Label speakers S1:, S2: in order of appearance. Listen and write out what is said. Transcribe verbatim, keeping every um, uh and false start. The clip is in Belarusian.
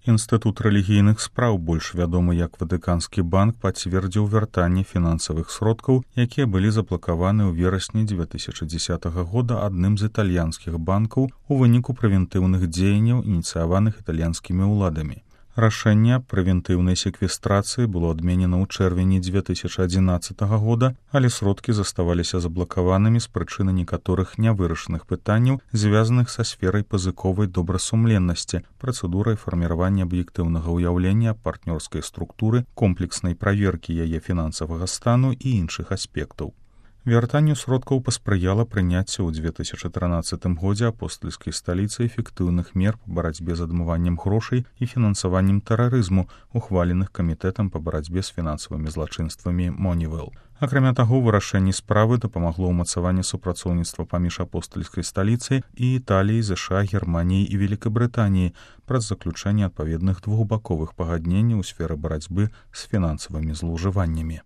S1: Інстытут рэлігійных спраў, больш вядомы як Ватыканскі банк, пацвердзіў вяртанне фінансавых сродкаў, якія былі заблакаваны ў верасні дзве тысячы дзесятага года адным з італьянскіх банкаў у выніку прэвентыўных дзеянняў, ініцыяваных італьянскімі ўладамі. Рашэнне прэвентыўнай секвестрацыі было адменена ў чэрвені дзве тысячы адзінаццатага года, але сродкі заставаліся заблакаванымі з прычыны некаторых нявырашаных пытанняў, звязаных са сферай пазыковай добрасумленнасці, працэдурай фарміравання аб'ектыўнага ўяўлення партнёрскай структуры, комплекснай праверкі яе фінансавага стану і іншых аспектаў. Вяртанню сродкаў паспрыяла прыняцце ў дзве тысячы трынаццатым годзе апостальскай сталіцы эфектыўных мер па барацьбе з адмываннем грошай і фінансаваннем тэрарызму, ухваленых камітэтам па барацьбе з фінансавымі злачынствамі Moneyval. Акрамя таго, вырашэнне справы дапамагло ўмацаванне супрацоўніцтва паміж апостальскай сталіцай і Італіяй, ЗША, Германіяй і Великабрытаніяй праз заключэнне адпаведных двухбаковых пагадненняў у сферы барацьбы з фінансавымі злоўжываннямі.